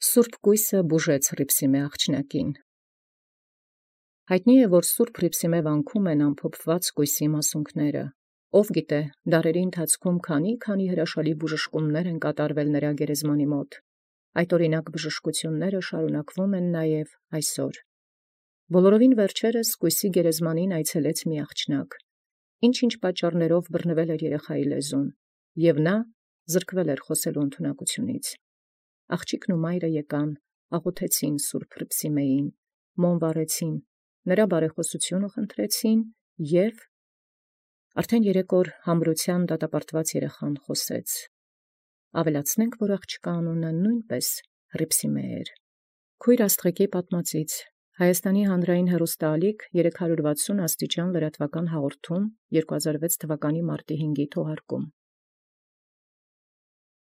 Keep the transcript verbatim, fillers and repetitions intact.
Սուրբ կոյսը բուժեց Հռիփսիմէ աղջնակին։ Յայտնի է, որ Սուրբ Հռիփսիմէ վանքում են ամփոփված կոյսի մասունքները։ Ով գիտէ, դարերի ընթացքում քանի քանի հրաշալի բուժշկումներ են կատարվել նրա գերեզմանի մոտ։ Այդ օրինակ բժշկությունները շարունակվում են նաև այսօր։ Բոլորովին վերջերս կոյսի գերեզմանին այցելեց մի աղջնակ, ինչ-ինչ պատճառներով բռնվել էր երեխայի լեզուն, և նա զրկվել էր խոսելու ընդունակությունից։ Աղջիկն ու մայրը եկան, աղոթեցին Սուրբ Հռիփսիմեին, մոմ վառեցին, նրա բարեխօսությունը խնդրեցին, և արդեն երեք օր համրութեան դատապարտված երեխան խոսեց։ Ավելացնենք, որ աղջկա անունը նույնպես Հռիփսիմե էր։ Քույր Աստղիկի պատմածից Հայաստանի հանրային հեռուստաալիք երեք հարյուր վաթսուն աստիճան լրատվական հաղորդում երկու հազար վեց թվականի մարտի հինգի թողարկում։